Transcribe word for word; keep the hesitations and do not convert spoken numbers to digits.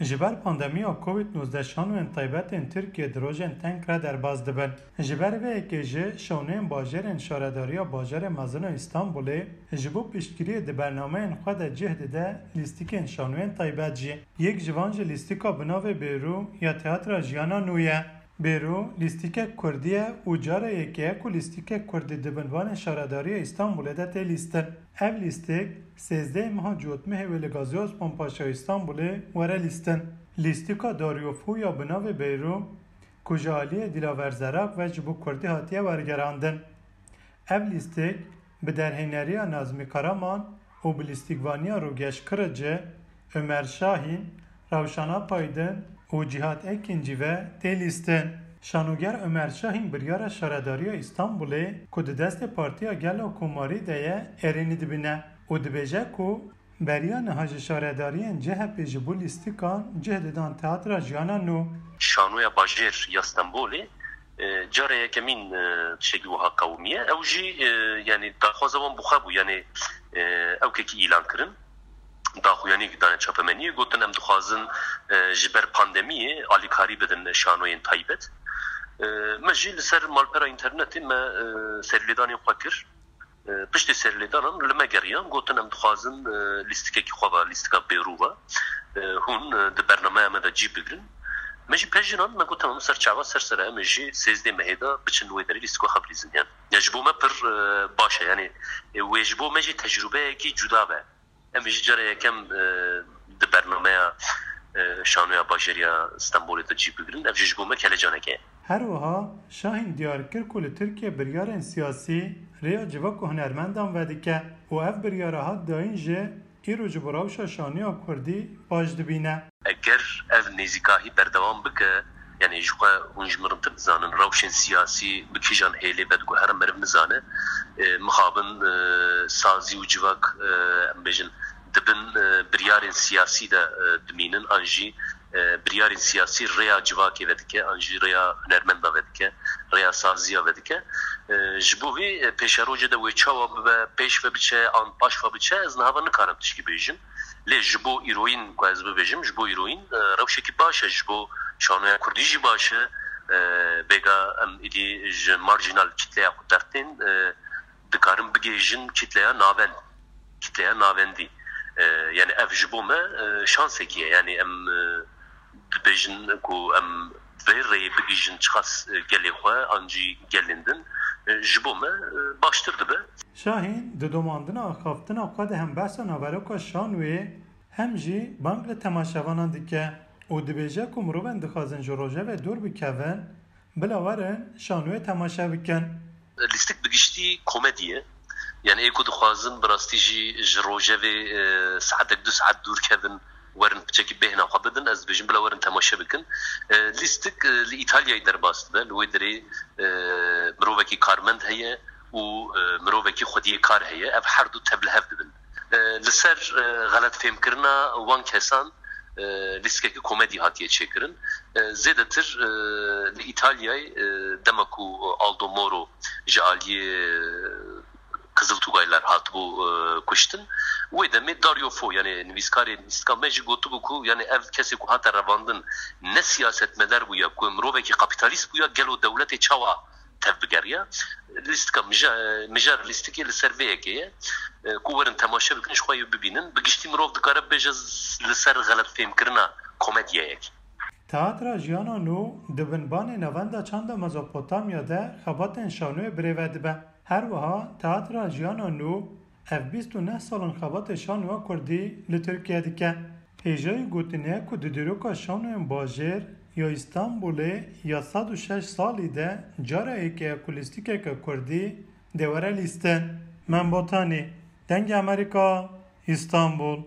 Ji ber pandemiya Covid nozdeh şanoyên taybet ên Tirkiyê di rojên teng re derbas dibin. Ji ber vê yekê jî şanoyên bajêrên Şaredariya Bajarê Mezin a Îstanbulê ji bo piştgiriyê di bernameyên xwe de cih dide lîstikên şanoyên taybet jî. Yek ji van jî lîstika bi navê Bêrû ya Teatra Jiyana Nû ye. Bêrû lîstikek kurdî ye û cara yekê ye ku lîstikek kurdî di binvanê Şaredariya Îstanbulê de tê lîstin. Ev lîstik sêzdehê meha Cotmehê wê li Gazî Osman Paşa Îstanbulê were lîstin. Lîstika Daryofû ya bi navê Bêrû ku ji aliyê Dîlaver Zerak ve ji bo kurdî hatiye wergerandin. Ev lîstik bi derhêneriya Nazmî Karaman û bi lîstikvaniya Rûgeş Kirici, Ömer Şahîn, Rewşan Apaydin û Cîhat Ekîncî ve tê lîstin. Şanoger Ömer Şahîn biryara Şaredariya Îstanbulê ku di destê Partiya Gel a Komarî de ye, erênî dibîne û dibêje ku beriya niha ji şaredariyên C H P ji bo lîstikan cih didan Teatra Jiyana Nû. Şanoya Bajêr ya Stenbolê, e, cara yekemîn, e, tiştekî wiha qewimiye. Ew jî, e, yanî daxwaza wan bi xwe bû, yanî, e, ewkekî îlan kirin. Daxuyaniyekî dane çapemeniyê, gotin, em dixwazin, e, ji ber pandemiyê alîkarî bidin şanoyên taybet. E, me jî li ser malpera înternetê me, e, serlêdanên xwe kir. E, piştî serlêdanan li me geriyan, gotin, em dixwazin, e, lîstikekî xwe ve, lîstika Bêrû ve, e, hûn, e, di bernameya me de cî bigirin. Me jî pejînan, me got, tamam, ser çava, ser sere, em ê jî sêzdeh mehê de biçin wê derê lîstika xwe bilîzin. Yani, ya ji bo me pir, e, baş e. Yani, e, wê ji bo me jî tecrûbeyekî cuda be. Em ê jî cara yekem, e, di bernameya, e, Şanoya Bajêr ya Stenbolê de cî bigirin. Ev jî ji bo me kelecaneke ye. Her wiha Şahîn diyar kir ku li Tirkiye biryarên siyasî rêya civak û hunermendan vedike û ev biryara hat dayîn jî îro ji bo rewşa şanoya kurdî baş dibîne. Eger ev nêzîkahî berdewam bike, yanî ji xwe hûn ji min rintir dizanin, rewşên siyasî bi kîjan hêlê ve diguhere meriv nizane, e, mixabin, e, sazî û civak, e, em bêjin, di bin, e, biryarên siyasî de, e, dimînin, an jî, e, biryarên siyasî rêya civakê vedike, an jî rêya hunermenda vedike, rêya saziya vedike. E, ji bo vê, e, pêşerojê de wê çawa bibe, pêş ve biçe, an paş ve biçe, ez niha ve nikarim tişkî bêjim. Lê ji bo îroyîn, ku ez bibêjim, ji bo îroyîn, e, rewşekî baş e, ji bo şanoya kurdî jî baş e. E, bêga em îdî ji marjinal kitleya xwe dertên, e, dikarin bigihêjin kitleya navend, kitleya navendî. E, yani ev ji bo me, e, şansekî ye. Yani em, e, dibêjin ku em vê rêyê bigihîjin çiqas, e, gelê xwe an jî gelên din, e, ji bo me, e, baştir dibe. Şahîn di domandina axaftina xwe de hem behsa naveroka şanoyê hem jî bang li temaşevanan dike û dibêje ku mirovên dixwazin ji rojevê dûr bikevin, bila werin şanoyê temaşe bikin. Lîstik bi giştî komedî ye. Yani ê ku dixwazin bi rastî jî ji rojevê, e, saetek du saet dûr kevin, werin piçekî bêhna xwe bidin, ez dibêjim bila werin temaşe bikin. E, lîstik, e, li Îtalyayê derbas dibe, li wê derê, e, mirovekî karmend heye û, e, mirovekî xwediyê kar heye. Ev her du tev li hev dibin. E, li ser, e, xeletfêmkirina wan kesan, e, lîstikekî komedî hatiye çêkirin. E, zêdetir, e, li Îtalyayê, e, dema ku Aldo Moro ji aliyê, e, Kızıl Tugaylar hatibû, e, kuştin. Wê demê Dario Fo, yani nivîskarê lîstika me jî gotibû ku, yani ev kesê ku hate revandin ne siyasetmedar bûya, ku mirovekî kapîtalîst bûya, gelo dewletê çawa tev bigeriya? Lîstika mija-, mijar lîstikê li ser vê yekê ye, e, ku werin temaşe bikin, ji xwe yê bibînin. Bi giştî mirov dikare bibêje z-, li ser xeletfêmkirina komedyayek. Teatra Jiyana Nû di binbanê Navenda Çanda Mezopotamya de xebatên şanoyê birêve dibe. Her wiha Teatra Jiyana Nû ev bîst û neh sal in xebatê şanoya kurdî li Tirkiye dike. Hêjayî gotinê ye ku di dîroka şanoyên bajêr ya Îstanbulê ya sed û şeş salî de cara yekê ye ku lîstikeke kurdî dê were lîstin. Mem Botanî, Dengê Amerîka, Îstanbul.